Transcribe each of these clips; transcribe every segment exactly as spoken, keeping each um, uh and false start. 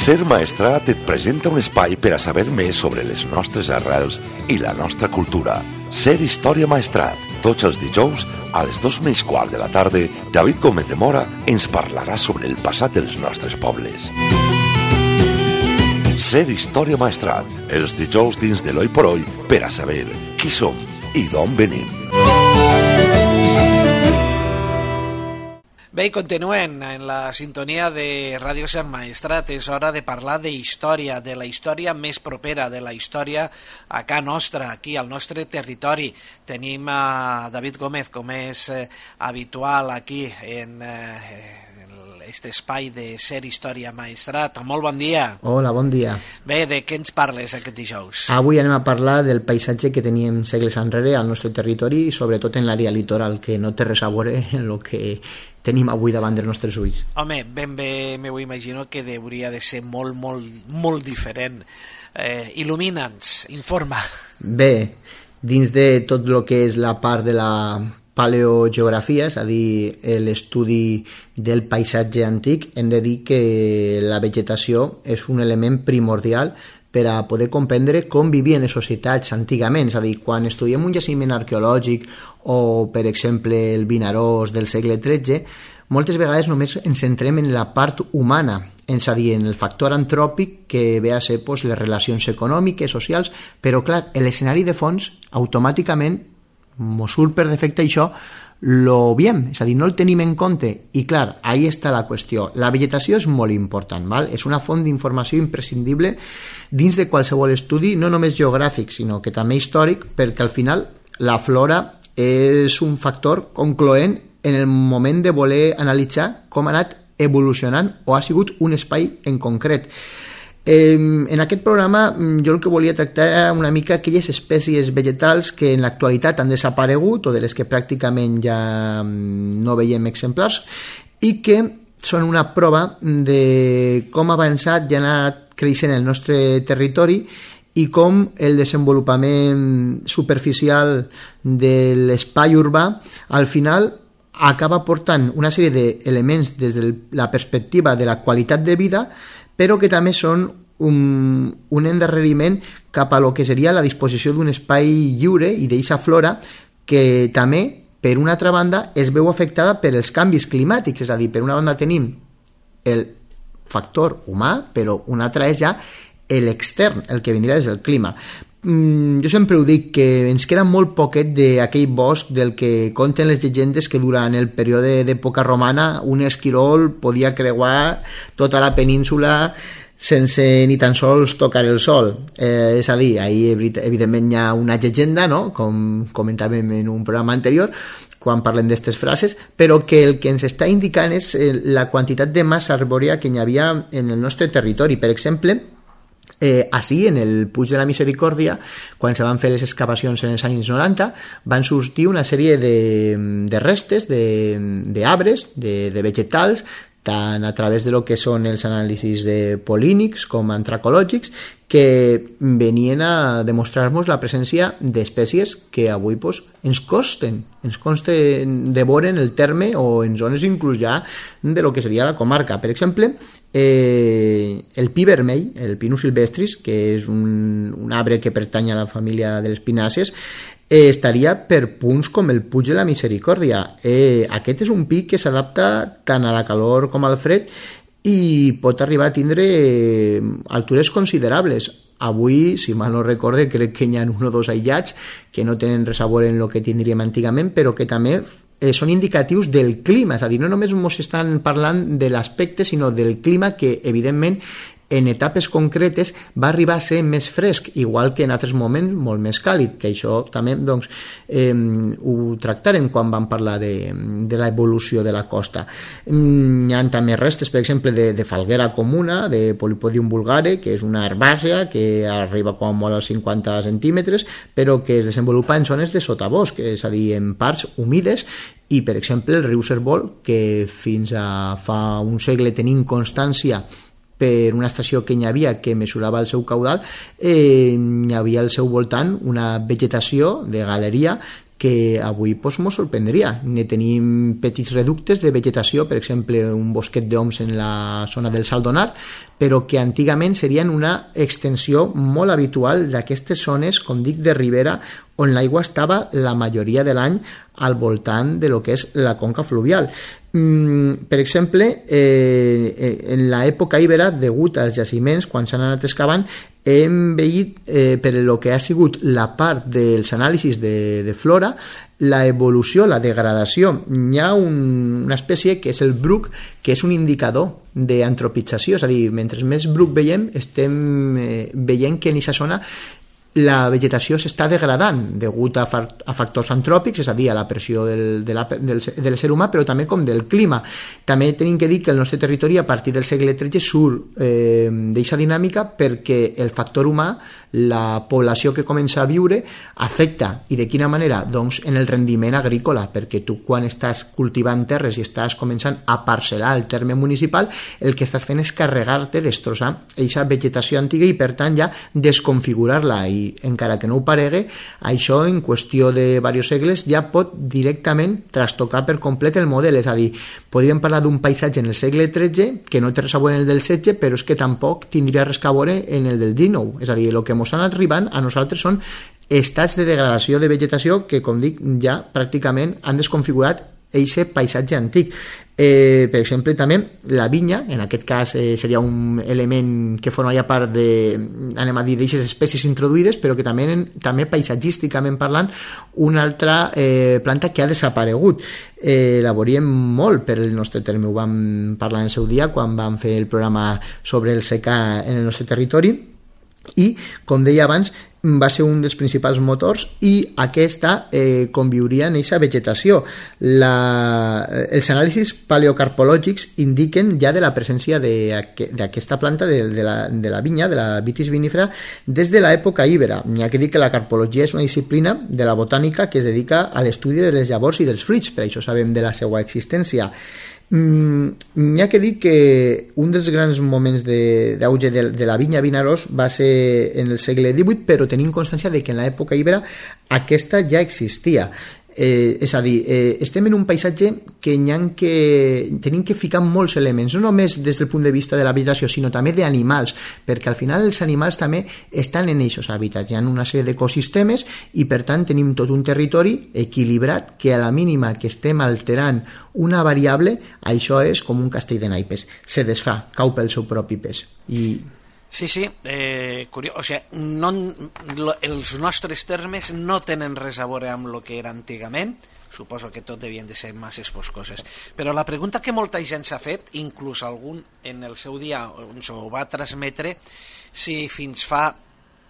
Ser Maestrat et presenta un espai per a saber més sobre les nostres arrels i la nostra cultura. Ser Història Maestrat. Tots els dijous, a les dos menys quart de la tarda, David Gómez de Mora ens parlarà sobre el passat dels nostres pobles. Ser Història Maestrat. Els dijous dins de l'Oi por Oi per a saber qui som i d'on venim. Bé, i continuen en la sintonia de Ràdio Ser Maestrat. És hora de parlar de història, de la història més propera, de la història a ca nostra, aquí al nostre territori. Tenim a David Gómez, com és eh, habitual aquí en eh, aquest espai de Ser Història Maestrat. Molt bon dia. Hola, bon dia. Bé, de què ens parles aquest dijous? Avui anem a parlar del paisatge que teníem segles enrere al nostre territori i sobretot en l'àrea litoral, que no té res a veure en el que tenim avui davant dels nostres ulls. Home, ben bé m'ho imagino que hauria de ser molt, molt, molt diferent. Eh, Il·lumina'ns, informa. Bé, dins de tot el que és la part de la paleogeografia, és a dir, l'estudi del paisatge antic, hem de dir que la vegetació és un element primordial per a poder comprendre com vivien les societats antigament. És a dir, quan estudiem un jaciment arqueològic o, per exemple, el Vinaròs del segle tretze, moltes vegades només ens centrem en la part humana, és a dir, en el factor antròpic que ve a ser pues, les relacions econòmiques, socials, però clar, l'escenari de fons automàticament mos surt per defecte això, lo veiem, és a dir, no el tenim en compte i clar, ahí està la qüestió. La vegetació és molt important, val? És una font d'informació imprescindible dins de qualsevol estudi, no només geogràfic, sinó que també històric, perquè al final la flora és un factor concloent en el moment de voler analitzar com ha anat evolucionant o ha sigut un espai en concret. Eh, en aquest programa jo el que volia tractar era una mica aquelles espècies vegetals que en l'actualitat han desaparegut o de les que pràcticament ja no veiem exemplars i que són una prova de com ha avançat i ha anat creixent el nostre territori i com el desenvolupament superficial de l'espai urbà al final acaba portant una sèrie d'elements des de la perspectiva de la qualitat de vida, però que també són un, un endarreriment cap a lo que seria la disposició d'un espai lliure i d'eixa flora que també, per una altra banda, es veu afectada per els canvis climàtics. És a dir, per una banda tenim el factor humà, però una altra és ja l'extern, el que vindria des del clima. Jo sempre ho dic, que ens queda molt poquet d'aquell bosc del que conten les llegendes que durant el període d'època romana un esquirol podia creuar tota la península sense ni tan sols tocar el sol. Eh, és a dir, ahir evidentment hi ha una llegenda, no? Com comentàvem en un programa anterior, quan parlem d'aquestes frases, però que el que ens està indicant és la quantitat de massa arbòria que hi havia en el nostre territori. Per exemple, Eh, així, en el Puig de la Misericòrdia, quan se van fer les excavacions en els anys noranta, van sortir una sèrie de, de restes d'arbres, de, de vegetals, tant a través de lo que són els anàlisis de polínics com antracològics, que venien a demostrar-nos la presència d'espècies que avui pues, ens costen, ens costen de veure en el terme o en zones inclús ja de lo que seria la comarca. Per exemple, eh, el pi vermell, el Pinus silvestris, que és un, un arbre que pertany a la família de les pinàcies, eh, estaria per punts com el Puig de la Misericòrdia. Eh, aquest és un pi que s'adapta tant a la calor com al fred i pot arribar a tindre altures considerables. Avui, si mal no recorde, crec que hi ha un o dos aïllats que no tenen res a veure en el que tindríem antigament, però que també eh, són indicatius del clima. És a dir, no només ens estan parlant de l'aspecte, sinó del clima que, evidentment, en etapes concretes va arribar a ser més fresc, igual que en altres moments molt més càlid, que això també doncs, eh, ho tractarem quan vam parlar de, de l'evolució de la costa. Hi ha també restes, per exemple, de, de falguera comuna, de Polypodium vulgare, que és una herbàcea que arriba com a molt als cinquanta centímetres, però que es desenvolupa en zones de sotabosc, és a dir, en parts humides, i, per exemple, el riu Cérvol, que fins a fa un segle tenim constància per una estació que hi havia que mesurava el seu caudal, eh, hi havia al seu voltant una vegetació de galeria que avui pues, mos sorprendria. Ne tenim petits reductes de vegetació, per exemple, un bosquet d'oms en la zona del Saldonar, però que antigament serien una extensió molt habitual d'aquestes zones, com dic, de ribera, on l'aigua estava la majoria de l'any al voltant de lo que és la conca fluvial. Mm, per exemple, eh, en l'època ibera, degut als jaciments, quan s'han anat excavant, hem veient eh, per lo que ha sigut la part dels anàlisis de, de flora, la evolució, la degradació. Hi ha un, una espècie que és el bruc, que és un indicador d'antropització, és a dir, mentre més bruc veiem, estem eh, veient que en aquesta zona la vegetació s'està degradant degut a, fa a factors antròpics, és a dir, a la pressió del, de, la, del, del ser humà, però també com del clima. També tenim que dir que el nostre territori a partir del segle tretze surt eh, d'aquesta dinàmica perquè el factor humà, la població que comença a viure, afecta. I de quina manera? Doncs en el rendiment agrícola, perquè tu quan estàs cultivant terres i estàs començant a parcel·lar el terme municipal, el que estàs fent és carregar-te, destrossar aquesta vegetació antiga i per tant ja desconfigurar-la, i encara que no ho paregui, això en qüestió de diversos segles ja pot directament trastocar per complet el model. És a dir, podríem parlar d'un paisatge en el segle tretze que no té res a veure en el del setze, però és que tampoc tindria res a veure en el del dinou. És a dir, el que ens han arribant a nosaltres són estats de degradació de vegetació que, com dic, ja pràcticament han desconfigurat aquest paisatge antic. Eh, per exemple, també la vinya, en aquest cas eh, seria un element que formaria part de, anem a dir, d'aquestes espècies introduïdes, però que també, també paisatgísticament parlant, una altra eh, planta que ha desaparegut. Eh, la veuríem molt per el nostre terme, ho vam parlar en el seu dia quan vam fer el programa sobre el secà en el nostre territori, i, com deia abans, va ser un dels principals motors i aquesta eh, conviuria en aquesta vegetació. La, els anàlisis paleocarpològics indiquen ja de la presència d'aquesta planta de, de, la, de la vinya, de la Vitis vinifera, des de l'època íbera. N'hi ha que dir que la carpologia és una disciplina de la botànica que es dedica a l'estudi de les llavors i dels fruits, per això sabem de la seva existència. Mm, n'hi ha que dir que un dels grans moments d'auge de, de, de la vinya Vinaròs va ser en el segle divuit, però tenim constància de que en l'època ibera aquesta ja existia. Eh, és a dir, eh, estem en un paisatge que, que tenim que ficar molts elements, no només des del punt de vista de la vegetació, sinó també d'animals, perquè al final els animals també estan en aquests hàbitats, hi ha una sèrie d'ecosistemes i per tant tenim tot un territori equilibrat que a la mínima que estem alterant una variable, això és com un castell de naipes, se desfà, cau pel seu propi pes. I Sí, sí, eh, curiós, o sigui, no, lo, els nostres termes no tenen res a veure amb el que era antigament, suposo que tot devien de ser masses boscoses, però la pregunta que molta gent s'ha fet, inclús algun en el seu dia ens ho va transmetre, si fins fa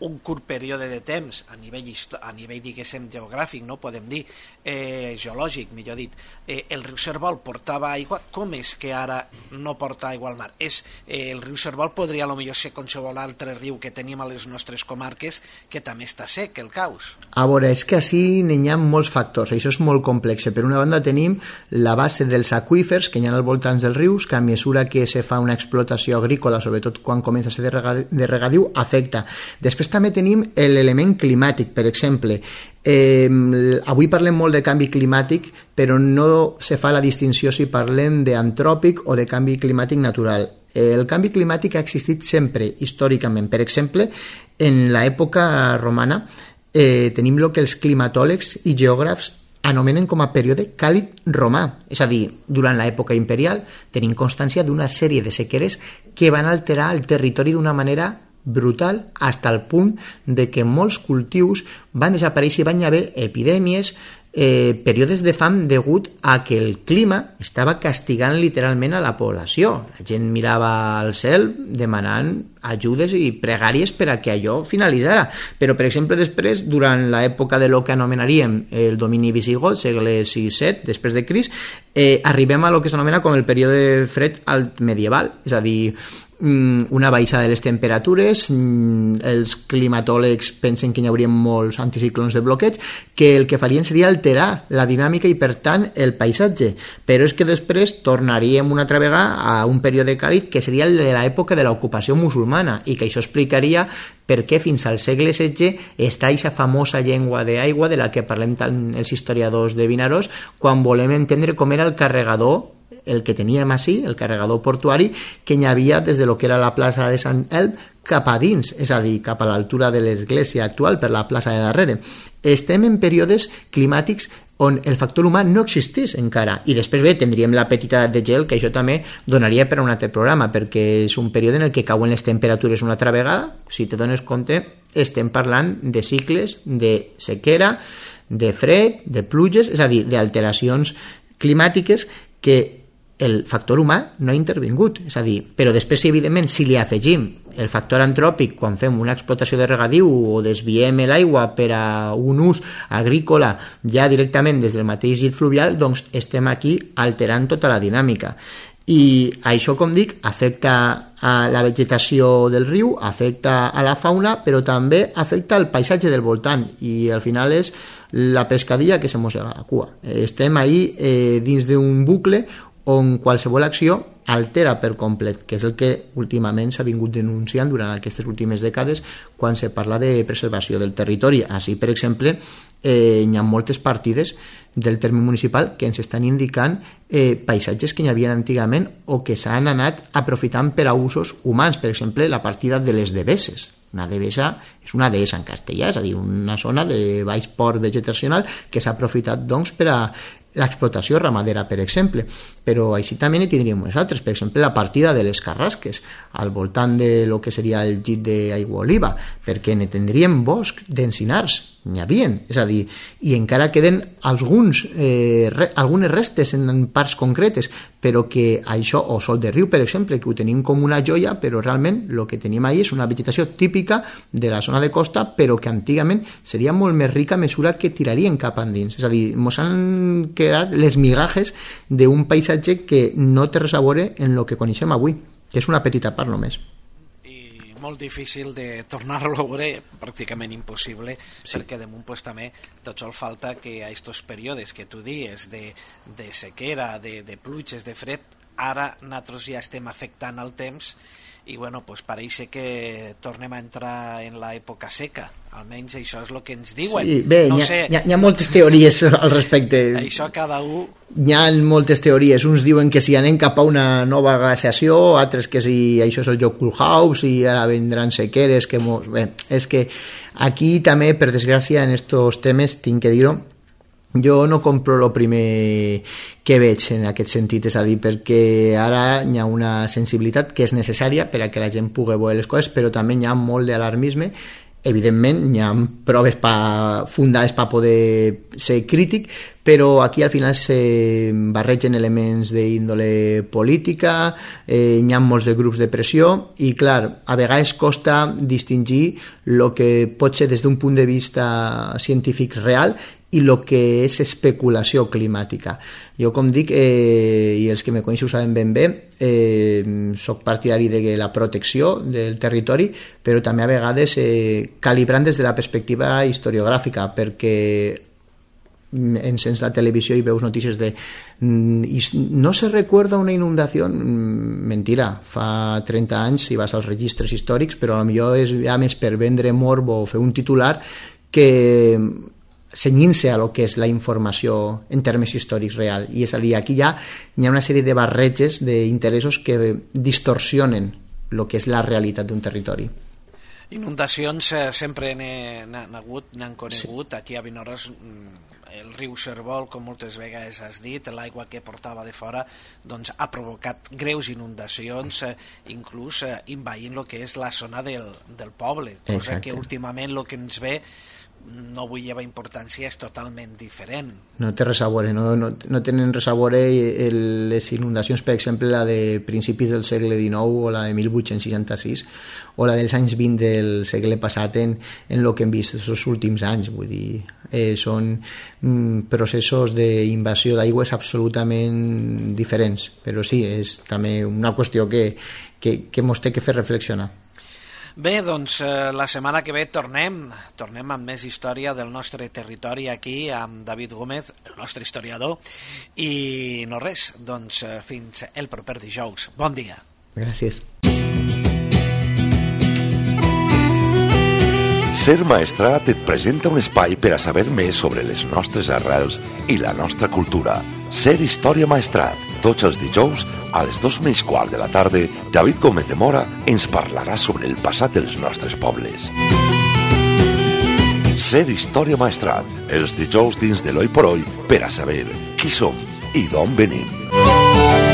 un curt període de temps a nivell, a nivell diguéssim geogràfic, no podem dir, eh, geològic, millor dit, eh, el riu Servol portava aigua, com és que ara no porta aigua al mar? És, eh, el riu Servol podria potser ser qualsevol altre riu que tenim a les nostres comarques que també està sec, el caus. A veure, és que així n'hi ha molts factors, això és molt complex. Per una banda tenim la base dels aqüífers que hi ha al voltant dels rius, que a mesura que se fa una explotació agrícola, sobretot quan comença a ser de regadiu, afecta. Després també tenim l'element climàtic, per exemple. Eh, avui parlem molt de canvi climàtic, però no se fa la distinció si parlem d'antròpic o de canvi climàtic natural. Eh, el canvi climàtic ha existit sempre, històricament. Per exemple, en l'època romana eh, tenim el que els climatòlegs i geògrafs anomenen com a període càlid romà, és a dir, durant l'època imperial tenim constància d'una sèrie de sequeres que van alterar el territori d'una manera brutal, hasta el punt de que molts cultius van desaparèixer i van haver epidèmies, eh, períodes de fam degut a que el clima estava castigant literalment a la població. La gent mirava al cel demanant ajudes i pregàries per a que allò finalitzara. Però, per exemple, després, durant l'època de lo que anomenaríem el domini visigot, segle sis set, després de Crist, eh, arribem a lo que s'anomena com el període fred alt medieval, és a dir, una baixada de les temperatures, els climatòlegs pensen que hi hauria molts anticiclons de bloqueig que el que farien seria alterar la dinàmica i per tant el paisatge, però és que després tornaríem una altra vegada a un període càlid que seria el de l'època de l'ocupació musulmana. romana, i que això explicaria per què fins al segle setze està aquesta famosa llengua d'aigua de la que parlem tant els historiadors de Vinaròs quan volem entendre com era el carregador, el que teníem així, el carregador portuari, que hi havia des de lo que era la plaça de Sant Elm cap a dins, és a dir, cap a l'altura de l'església actual, per la plaça de darrere. Estem en períodes climàtics on el factor humà no existís encara, i després bé, tindríem la petita edat de gel, que això també donaria per a un altre programa, perquè és un període en el que cauen les temperatures una altra vegada. Si te dones compte, estem parlant de cicles de sequera, de fred, de pluges, és a dir, d'alteracions climàtiques que el factor humà no ha intervingut, és a dir, però després, evidentment, si li afegim el factor antròpic quan fem una explotació de regadiu o desviem l'aigua per a un ús agrícola ja directament des del mateix llit fluvial, doncs estem aquí alterant tota la dinàmica. I això, com dic, afecta a la vegetació del riu, afecta a la fauna, però també afecta al paisatge del voltant, i al final és la pescadilla que se mossega la cua. Estem ahí eh, dins d'un bucle on qualsevol acció altera per complet, que és el que últimament s'ha vingut denunciant durant aquestes últimes dècades quan se parla de preservació del territori. Així, per exemple, eh, hi ha moltes partides del terme municipal que ens estan indicant eh, paisatges que hi havia antigament o que s'han anat aprofitant per a usos humans. Per exemple, la partida de les deveses. Una devesa és una dehesa en castellà, és a dir, una zona de baix port vegetacional que s'ha aprofitat doncs, per a l'explotació ramadera, per exemple. Però així també n'hi tindríem unes altres. Per exemple, la partida de les carrasques al voltant de lo que seria el llit d'aigua oliva, perquè ne tindríem bosc d'encinars, n'hi havien, és a dir, i encara queden alguns, eh, re, algunes restes en parts concretes, però que això, o sol de riu, per exemple, que ho tenim com una joia, però realment el que tenim ahí és una vegetació típica de la zona de costa, però que antigament seria molt més rica a mesura que tirarien cap endins. És a dir, mos han quedat les migajes d'un paisatge que no té res a veure en el que coneixem avui, que és una petita part només. Molt difícil de tornar-lo a veure, pràcticament impossible, sí. Perquè damunt pues, també tot sol falta que a estos períodes que tu dies de, de sequera, de, de pluges, de fred, ara nosaltres ja estem afectant el temps i bueno, pues pareix que tornem a entrar en l'època seca, almenys això és el que ens diuen. Sí, bé, no hi, ha, sé... hi, ha, hi ha moltes teories al respecte. Això cada un... Hi ha moltes teories, uns diuen que si anem cap a una nova glaciació, altres que si això és el joc Kulhaus i ara vendran sequeres, que mos... bé, és que aquí també, per desgràcia, en estos temes, tinc que dir-ho, jo no compro el primer que veig en aquest sentit, és a dir, perquè ara hi ha una sensibilitat que és necessària per a que la gent pugui veure les coses, però també hi ha molt d'alarmisme. Evidentment hi ha proves pa, fundades per poder ser crític, però aquí al final se barregen elements d'índole política, eh, hi ha molts de grups de pressió i clar, a vegades costa distingir el que pot ser des d'un punt de vista científic real i el que és especulació climàtica. Jo, com dic, eh, i els que me coneixen ho saben ben bé, eh, soc partidari de la protecció del territori, però també a vegades eh, calibrant des de la perspectiva historiogràfica, perquè encens la televisió i veus notícies de no se recuerda una inundació. Mentira, fa trenta anys si vas als registres històrics, però potser és ja més per vendre morbo o fer un titular que cenyint-se a lo que és la informació en termes històrics real. I és a dir, aquí ja hi ha una sèrie de barreges d'interessos que distorsionen el que és la realitat d'un territori. Inundacions eh, sempre n'han hagut, n'han conegut. Sí. Aquí a Vinaròs el riu Cervol, com moltes vegades has dit, l'aigua que portava de fora doncs, ha provocat greus inundacions, eh, inclús eh, envaint el que és la zona del, del poble, cosa Exacte. Que últimament el que ens ve no vull llevar importància, és totalment diferent. No té res a veure, no, no, no tenen res a veure el, les inundacions, per exemple, la de principis del segle dinou o la de mil vuit-cents seixanta-sis o la dels anys vint del segle passat en, en el que hem vist els últims anys. Vull dir, eh, són mm, processos d'invasió d'aigües absolutament diferents, però sí, és també una qüestió que, que, que mos té que fer reflexionar. Bé, doncs eh, la setmana que ve tornem, tornem amb més història del nostre territori aquí amb David Gómez, el nostre historiador, i no res, doncs eh, fins el proper dijous. Bon dia. Gràcies. Ser Maestrat et presenta un espai per a saber més sobre les nostres arrels i la nostra cultura. Ser Història Maestrat. Tots els dijous, a les dos menys quart de la tarda, David Gómez de Mora ens parlarà sobre el passat dels nostres pobles. Ser Història Maestrat. Els dijous dins de l'Oi por Oi per a saber qui som i d'on venim.